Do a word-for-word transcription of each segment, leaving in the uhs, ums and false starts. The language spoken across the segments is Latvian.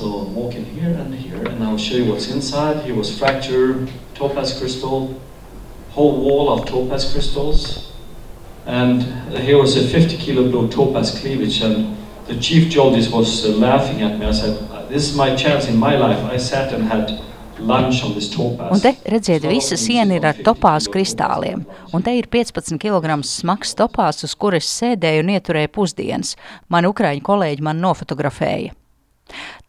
So walk in here and here, and I'll show you what's inside. Here was fractured topaz crystal, whole wall of topaz crystals. And here was a fifty kilo blue topaz cleavage, and the chief geologist was uh, laughing at me. I said, this is my chance in my life. I sat and had lunch on this topaz. Un te redziet, visa siena ir ar topāzu kristāliem, un te ir piecpadsmit kilogramu smags topāzs, uz kuras sēdēju un ieturēju pusdienas. Mani ukraiņu kolēģi man nofotografēja.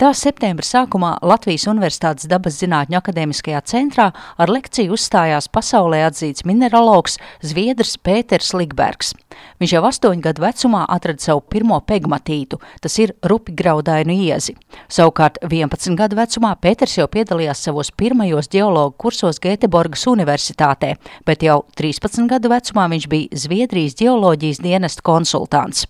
Tā septembra sākumā Latvijas Universitātes dabas zinātņu akadēmiskajā centrā ar lekciju uzstājās pasaulē atzīts mineralogs Zviedrs Pēters Ligbergs. Viņš jau astoņu gadu vecumā atrada savu pirmo pegmatītu, tas ir rupigraudainu iezi. Savukārt vienpadsmit gadu vecumā Pēters jau piedalījās savos pirmajos ģeologu kursos Gēteborgas universitātē, bet jau trīspadsmit gadu vecumā viņš bija Zviedrijas ģeoloģijas dienesta konsultants.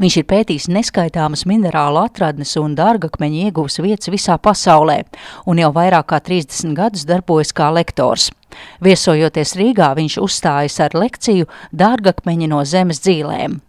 Viņš ir pētījis neskaitāmas minerālu atradnes un dārgakmeņu ieguves vietas visā pasaulē, un jau vairāk kā trīsdesmit gadus darbojas kā lektors. Viesojoties Rīgā, viņš uzstājas ar lekciju Dārgakmeņi no zemes dzīlēm.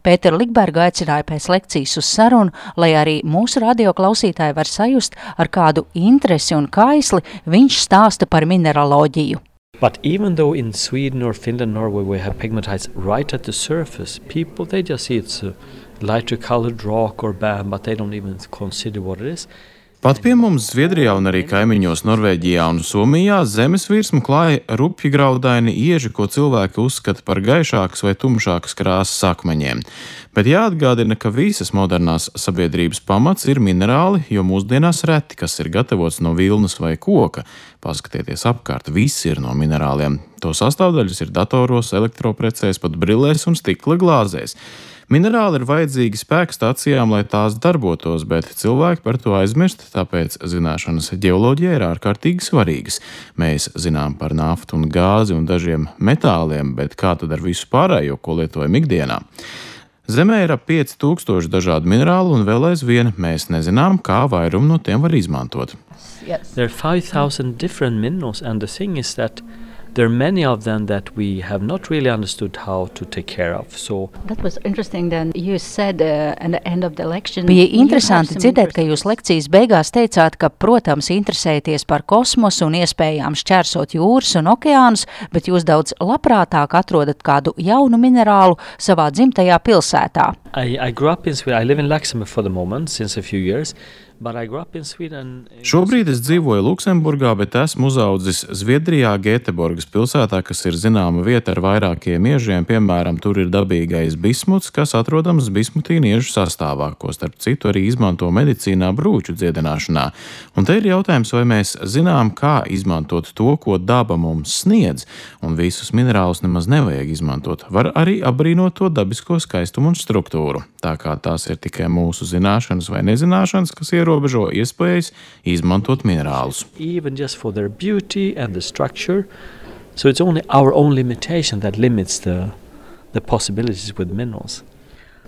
Pēteru Ligbergu aicināja pēc lekcijas uz sarunu, lai arī mūsu radioklausītāji var sajust, ar kādu interesi un kaisli viņš stāsta par mineraloģiju. But even though in Sweden or Finland, Norway, we have pegmatites right at the surface, people, they just see it's a lighter colored rock or bam, but they don't even consider what it is. Pat pie mums Zviedrijā un arī kaimiņos Norvēģijā un Somijā zemes virsmu klāja rupjgraudaini ieži, ko cilvēki uzskata par gaišākas vai tumšākas krāsas akmeņiem. Bet jāatgādina, ka visas modernās sabiedrības pamats ir minerāli, jo mūsdienās reti, kas ir gatavots no vilnas vai koka. Paskatieties apkārt, viss ir no minerāliem. To sastāvdaļas ir datoros, elektroprecēs, pat brillēs un stikla glāzēs. Minerāli ir vajadzīgi spēkstacijām, lai tās darbotos, bet cilvēki par to aizmirst, tāpēc zināšanas ģeoloģijā ir ārkārtīgi svarīgas. Mēs zinām par naftu un gāzi un dažiem metāliem, bet kā tad ar visu pārējo, ko lietojam ikdienā? Zemē ir ap pieci tūkstoši dažādu minerālu un vēl aizvien mēs nezinām, kā vairumu no tiem var izmantot. Yes. There are five thousand different minerals, and the thing is that there are many of them that we have not really understood how to take care of. So that was interesting then you said uh, at the end of the lecture. Bija interesanti dzirdēt, ka jūs lekcijas beigās teicāt, ka, protams, interesēties par kosmosu un iespējām šķērsot jūras un okeānus, bet jūs daudz labprātāk atrodat kādu jaunu minerālu savā dzimtajā pilsētā. I, I grew up in Sweden. I live in Luxembourg for the moment since a few years. Šobrīd es dzīvoju Luksemburgā, bet esmu uzaudzis Zviedrijā, Gēteborgas pilsētā, kas ir zināma vieta ar vairākiem iežiem. Piemēram, tur ir dabīgais bismuts, kas atrodams bismutīnu iežu sastāvā, ko starp citu arī izmanto medicīnā brūču dziedināšanā. Un te ir jautājums, vai mēs zinām, kā izmantot to, ko daba mums sniedz, un visus minerālus nemaz nevajag izmantot. Var arī apbrīnot to dabisko skaistumu un struktūru. Tā kā tās ir tikai mūsu zināšanas vai nezināšanas, kas ierobežo iespējas izmantot minerālus. Even just for their beauty and the structure, so it's only our own limitation that limits the the possibilities with minerals.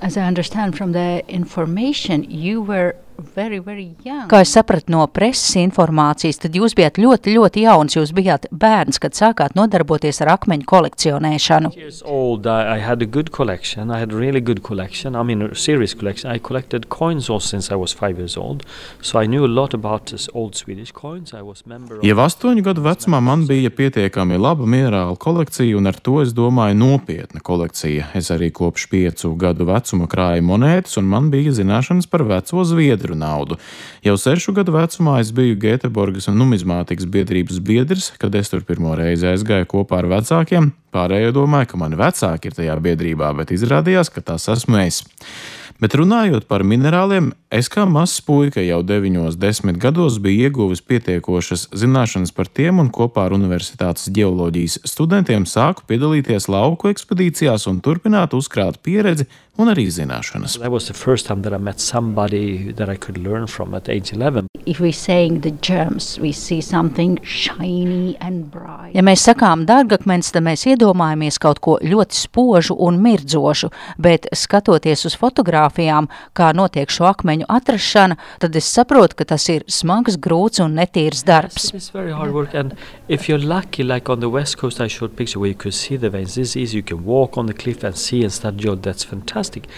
As I understand from the information, you were very, very young. Kā es sapratu no preses informācijas, tad jūs bijāt ļoti, ļoti jauns. Jūs bijāt bērns, kad sākāt nodarboties ar akmeņu kolekcionēšanu. Years old, I had a good collection. I had a really good collection. I mean, a serious collection. I collected coins also since I was five years old. So I knew a lot about this old Swedish coins. I was member of... Jau astoņu gadu vecumā man bija pietiekami laba minerāla kolekcija, un ar to es domāju nopietna kolekcija. Es arī kopš piecu gadu vecuma krāju monētas, un man bija zināšanas par veco Zviedru naudu. Jau sešu gadu vecumā es biju Gēteborgas un numizmātikas biedrības biedrs, kad es tur pirmo reizi aizgāju kopā ar vecākiem. Pārējo domāju, ka mani vecāki ir tajā biedrībā, bet izrādījās, ka tas esmu es. Bet runājot par minerāliem, es kā mazs puika jau deviņos, desmit gados biju ieguvis pietiekošas zināšanas par tiem un kopā ar universitātes ģeoloģijas studentiem sāku piedalīties lauku ekspedīcijās un turpināt uzkrāt pieredzi un arī zināšanas. That was the first time that I met somebody that I could learn from at age eleven. If we saying the germs, we see something shiny and bright. Ja mēs sakām dārgakmens, tad mēs iedomājamies kaut ko ļoti spožu un mirdzošu, bet skatoties uz fotogrāfijām, kā notiek šo akmeņu atrašana, tad es saprotu, ka tas ir smags, grūts un netīrs darbs. It's very hard work, and if you're lucky, like on the west coast, I showed a picture where you could see the veins. This is easy. You can walk on the cliff and see and start geode. That's fantastic.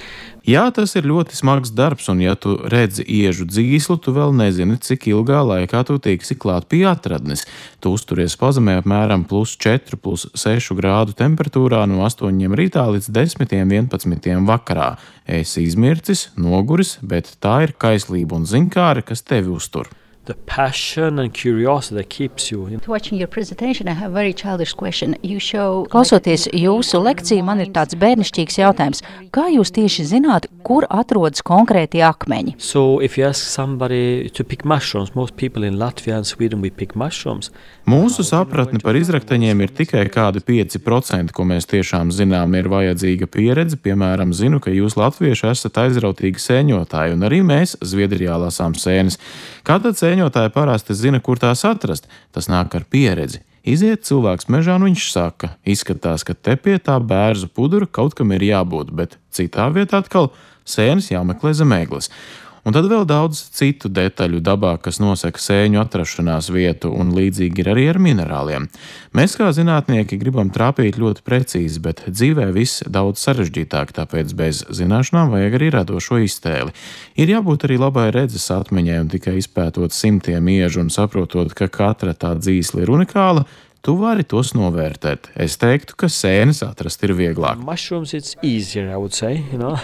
Jā, tas ir ļoti smags darbs, un ja tu redzi iežu dzīslu, tu vēl nezini, cik ilgā laikā tu tiksi klāt pie atradnes. Tu uzturies pazemē apmēram plus četru, plus sešu grādu temperatūrā no astoņiem rītā līdz desmitiem, vienpadsmitiem vakarā. Esi izmircis, noguris, bet tā ir kaislība un zinkāre, kas tevi uztur. The passion and curiosity that keeps you. Watching your presentation, I have a very childish question. You show... Klausoties jūsu lekciju, man ir tāds bērnišķīgs jautājums. Kā jūs tieši zināt, kur atrodas konkrēti akmeņi? So if you ask somebody to pick mushrooms, most people in Latvia and Sweden we pick mushrooms. Mūsu sapratne par izrakteņiem ir tikai kādi pieci procenti, ko mēs tiešām zinām, ir vajadzīga pieredze. Piemēram, zinu, ka jūs latvieši esat aizrautīgi sēņotāji, un arī mēs Zviedrijā lasām sēnes. Kā tad sēņotāji parasti zina, kur tās atrast? Tas nāk ar pieredzi. Iziet cilvēks mežā, un viņš saka, izskatās, ka te pie tā bērzu pudura kaut kam ir jābūt, bet citā vietā atkal sēnes jāmeklē zem egles. Un tad vēl daudz citu detaļu dabā, kas nosaka sēņu atrašanās vietu, un līdzīgi ir arī ar minerāliem. Mēs kā zinātnieki gribam trāpīt ļoti precīzi, bet dzīvē viss daudz sarežģītāk, tāpēc bez zināšanām vajag arī radošo iztēli. Ir jābūt arī labai redzes atmiņai, un tikai izpētot simtiem iežu un saprotot, ka katra tā dzīsla ir unikāla, tu vari tos novērtēt. Es teiktu, ka sēnes atrast ir vieglāk. Mushrooms it's easier, I would say, you know.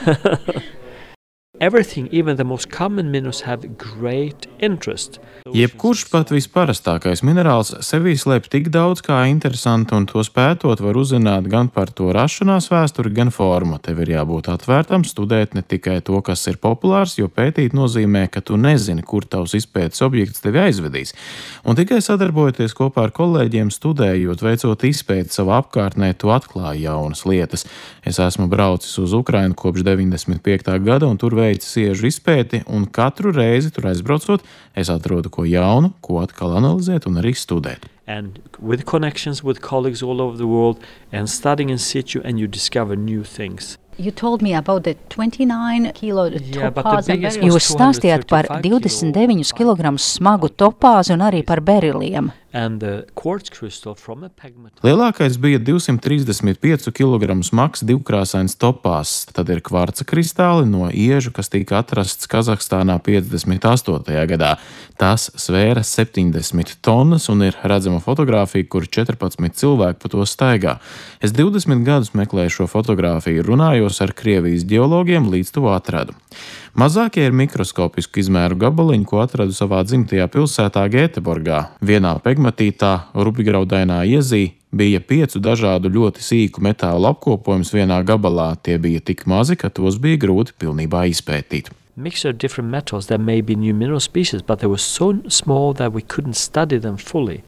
Everything, even the most common minerals, have great interest. Jebkurš pat visparastākais minerāls sevī slēp tik daudz kā interesanti, un to spētot var uzzināt gan par to rašanās vēsturi, gan formu. Tev ir jābūt atvērtam, studēt ne tikai to, kas ir populārs, jo pētīt nozīmē, ka tu nezini, kur tavs izpētes objekts tevi aizvedīs. Un tikai sadarbojoties kopā ar kolēģiem, studējot, veicot izpēti savā apkārtnē, tu atklāji jaunas lietas. Es esmu braucis uz Ukrainu kopš deviņdesmit piektā gada, un tur veicis iežu izpēti, un katru reizi tur aizbraucot, es atrodu ko jaunu, ko atkal analizēt un arī studēt. And with connections with colleagues all over the world and studying in situ, and you discover new things. You told me about the twenty-nine kilo Yeah, but the topāzi. biggest was Jūs stāstījāt par two hundred thirty-five divdesmit deviņus kilogramus smagu topāzi un arī par beriliem. And the quartz crystal from a pegmatite. Lielākais bija divsimt trīsdesmit pieci kilogramu smags divkrāsains topās, tad ir kvarca kristāli no iežu, kas tika atrasts Kazahstānā piecdesmit astotajā gadā. Tas svēra septiņdesmit tonnas un ir redzama fotogrāfija, kur četrpadsmit cilvēki pa to staigā. Es divdesmit gadus meklēju šo fotogrāfiju, runājos ar Krievijas ģeologiem, līdz to atradu. Mazākie ir mikroskopisku izmēru gabaliņi, ko atradu savā dzimtajā pilsētā Gēteborgā. Vienā pegmatītā, rupjgraudainā iezī, bija piecu dažādu ļoti sīku metālu apkopojums vienā gabalā. Tie bija tik mazi, ka tos bija grūti pilnībā izpētīt. Mixture of different metals, there may be new mineral species, but they were so small that we couldn't study them fully.